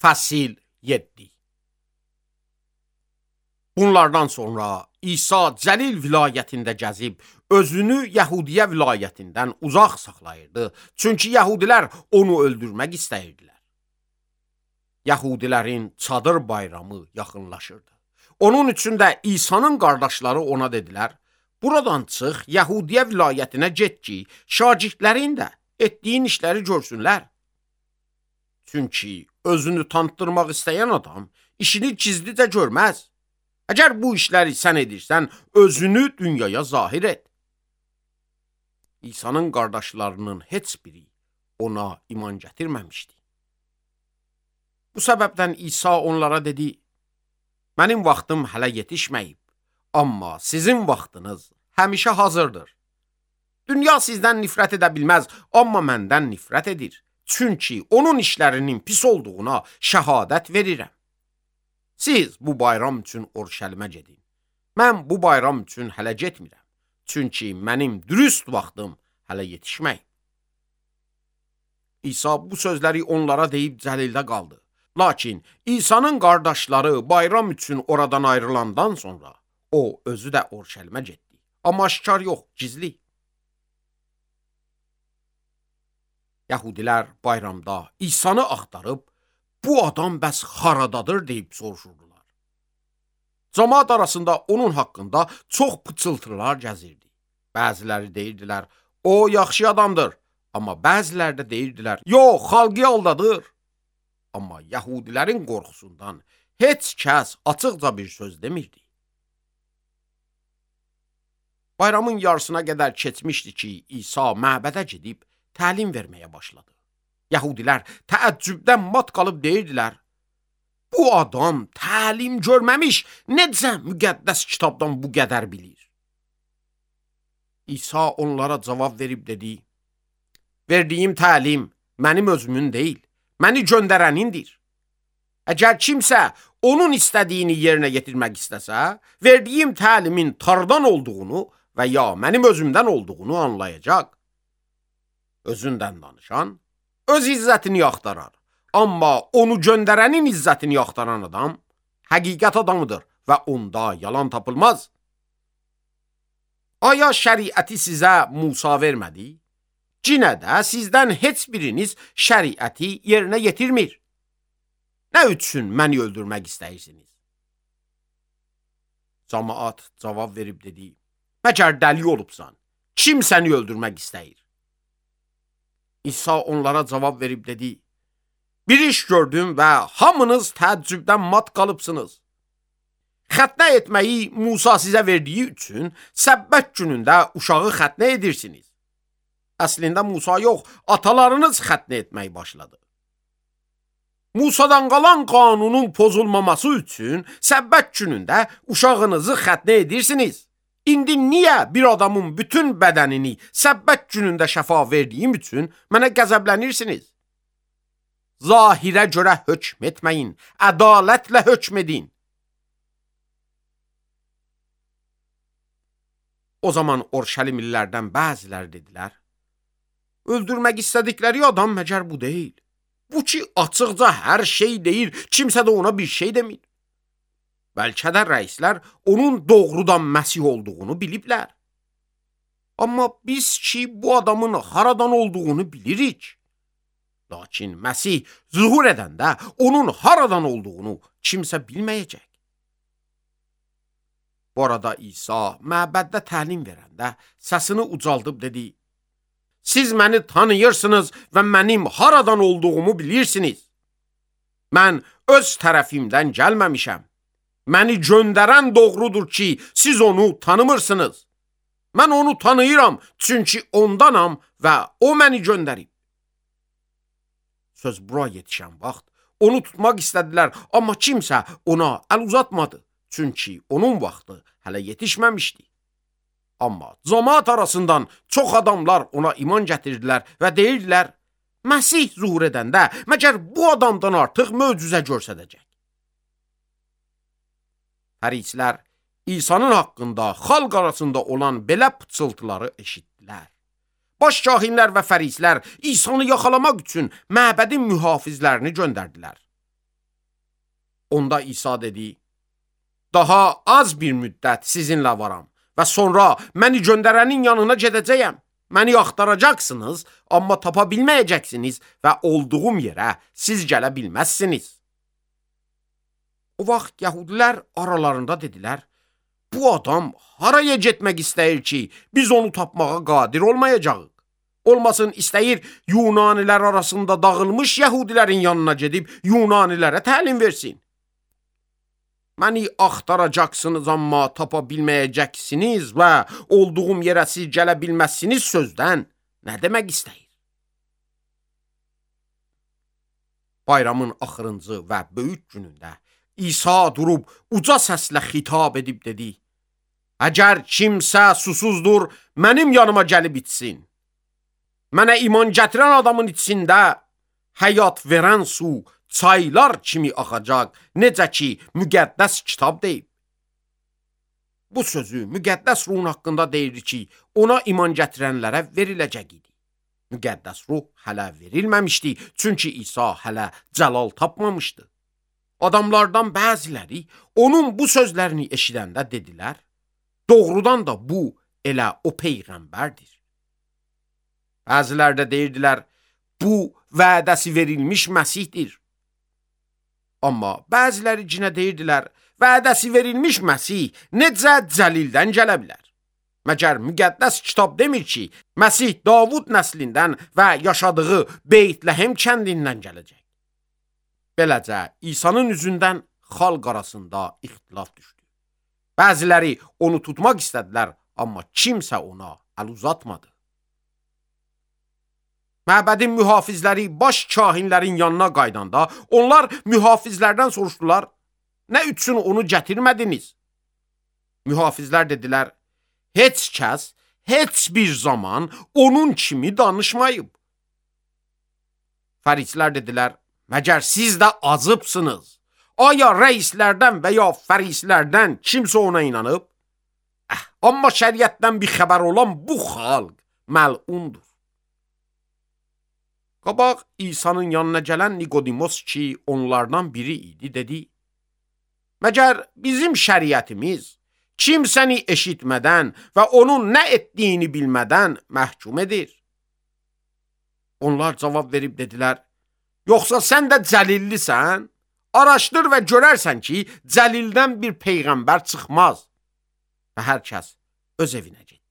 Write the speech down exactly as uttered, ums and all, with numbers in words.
Fəsil yeddi. Bunlardan sonra İsa Cəlil vilayətində gəzib, özünü Yəhudiyə vilayətindən uzaq saxlayırdı. Çünki Yəhudilər onu öldürmək istəyirdilər. Yəhudilərin çadır bayramı yaxınlaşırdı. Onun üçün də İsa'nın qardaşları ona dedilər, buradan çıx, Yəhudiyə vilayətinə get ki, şagirdlərin də etdiyin işləri görsünlər. Çünki özünü tanıtdırmaq istəyən adam işini gizlicə görməz. Əgər bu işləri sən edirsən, özünü dünyaya zahir et. İsa'nın qardaşlarının heç biri ona iman gətirməmişdi. Bu səbəbdən İsa onlara dedi, mənim vaxtım hələ yetişməyib, amma sizin vaxtınız həmişə hazırdır. Dünya sizdən nifrət edə bilməz, amma məndən nifrət edir. Çünki onun işlərinin pis olduğuna şəhadət verirəm. Siz bu bayram üçün Urşəlimə gedin. Mən bu bayram üçün hələ getmirəm. Çünki mənim dürüst vaxtım hələ yetişməyib. İsa bu sözləri onlara deyib Cəlildə qaldı. Lakin İsa'nın qardaşları bayram üçün oradan ayrılandan sonra o özü də Urşəlimə getdi. Amma aşkar yox, gizli. Yəhudilər bayramda İsa'nı axtarıb, bu adam bəs haradadır deyib soruşurdular. Cəmaət arasında onun haqqında çox pıçıltılar gəzirdi. Bəziləri deyirdilər, o yaxşı adamdır. Amma bəziləri də deyirdilər, yox, xalqı aldadır. Amma Yəhudilərin qorxusundan heç kəs açıqca bir söz demirdi. Bayramın yarısına qədər keçmişdi ki, İsa məbədə gedib təlim verməyə başladı. Yəhudilər təəccübdən mat qalıb deyirdilər, bu adam təlim görməmiş, necə müqəddəs kitabdan bu qədər bilir? İsa onlara cavab verib dedi, verdiyim təlim mənim özümün deyil, məni göndərənindir. Əgər kimsə onun istədiyini yerinə yetirmək istəsə, verdiyim təlimin Tanrıdan olduğunu və ya mənim özümdən olduğunu anlayacaq. Özündən danışan öz izzətini axtarar. Amma onu göndərənin izzətini axtaran adam həqiqət adamıdır və onda yalan tapılmaz. Aya şəriəti sizə Musa vermədi? Cinə də sizdən heç biriniz şəriəti yerinə yetirmir. Nə üçün məni öldürmək istəyirsiniz? Cəmaət cavab verib dedi, məgər dəli olubsan, kim səni öldürmək istəyir? İsa onlara cavab verib dedi, bir iş gördüm və hamınız təəccübdən mat qalıbsınız. Xətnə etməyi Musa sizə verdiyi üçün səbbət günündə uşağı xətnə edirsiniz. Əslində Musa yox, atalarınız xətnə etməyi başladı. Musadan qalan qanunun pozulmaması üçün səbbət günündə uşağınızı xətnə edirsiniz. İndi niyə bir adamın bütün bədənini səbbət günündə şəfa verdiyim üçün mənə qəzəblənirsiniz? Zahirə görə hökm etməyin, ədalətlə hökm edin. O zaman Urşəlimlilərdən bəziləri dedilər, öldürmək istədikləri adam məgər bu deyil. Bu ki, açıqca hər şey deyir, kimsə də ona bir şey demir. Bəlkə də rəislər onun doğrudan Məsih olduğunu biliblər. Amma biz ki, bu adamın haradan olduğunu bilirik. Lakin Məsih zuhur edəndə onun haradan olduğunu kimsə bilməyəcək. Bu arada İsa məbəddə təlim verəndə səsini ucaldıb dedi, siz məni tanıyırsınız və mənim haradan olduğumu bilirsiniz. Mən öz tərəfimdən gəlməmişəm. Məni göndərən doğrudur ki, siz onu tanımırsınız. Mən onu tanıyıram, çünki ondanam və o məni göndərib. Söz bura yetişən vaxt onu tutmaq istədilər, amma kimsə ona əl uzatmadı, çünki onun vaxtı hələ yetişməmişdi. Amma cəmaət arasından çox adamlar ona iman gətirdilər və deyirdilər, Məsih zuhur edəndə məgər bu adamdan artıq möcüzə göstərəcək. Fərisilər İsa'nın haqqında xalq arasında olan belə pıçıltıları eşitdilər. Baş kahinlər və fərislər İsa'nı yaxalamaq üçün məbədin mühafizlərini göndərdilər. Onda İsa dedi, daha az bir müddət sizinlə varam və sonra məni göndərənin yanına gedəcəyəm. Məni axtaracaqsınız, amma tapa bilməyəcəksiniz və olduğum yerə siz gələ bilməzsiniz. O vaxt yəhudilər aralarında dedilər, bu adam haraya getmək istəyir ki, biz onu tapmağa qadir olmayacağıq. Olmasın istəyir Yunanilər arasında dağılmış yəhudilərin yanına gedib Yunanilərə təlim versin. Məni axtaracaqsınız, amma tapa bilməyəcəksiniz və olduğum yerə siz gələ bilməzsiniz sözdən nə demək istəyir? Bayramın axırıncı və böyük günündə İsa durub uca səslə xitab edib dedi, əgər kimsə susuzdur, mənim yanıma gəlib içsin. Mənə iman gətirən adamın içində həyat verən su çaylar kimi axacaq, necə ki, müqəddəs kitab deyib. Bu sözü müqəddəs ruhun haqqında deyir ki, ona iman gətirənlərə veriləcək idi. Müqəddəs ruh hələ verilməmişdi, çünki İsa hələ cəlal tapmamışdı. Adamlardan bəziləri onun bu sözlərini eşidəndə dedilər, doğrudan da bu elə o peyğəmbərdir. Bəzilər də deyirdilər, bu vədəsi verilmiş Məsihdir. Amma bəziləri cinə deyirdilər, vədəsi verilmiş Məsih necə Cəlildən gələ bilər? Məgər müqəddəs kitab demir ki, Məsih Davud nəslindən və yaşadığı Beytləhem kəndindən gələcək. Beləcə, İsa'nın üzündən xalq arasında ixtilaf düşdü. Bəziləri onu tutmaq istədilər, amma kimsə ona əl uzatmadı. Məbədin mühafizləri baş kahinlərin yanına qaydanda, onlar mühafizlərdən soruşdular, nə üçün onu gətirmədiniz? Mühafizlər dedilər, heç kəs, heç bir zaman onun kimi danışmayıb. Fərislər dedilər, məgər siz də azıbsınız? Aya rəislərdən və ya fərislərdən kimsə ona inanıb? Əh, amma şəriətdən bir xəbər olan bu xalq məlundur. Qabaq İsa'nın yanına gələn Nikodimos ki, onlardan biri idi, dedi, məgər bizim şəriətimiz kimsəni eşitmədən və onun nə etdiyini bilmədən məhkum edir? Onlar cavab verib dedilər, yoxsa sən də Cəlillisən? Araşdır və görərsən ki, Cəlildən bir peyğəmbər çıxmaz. Və hər kəs öz evinə getdi.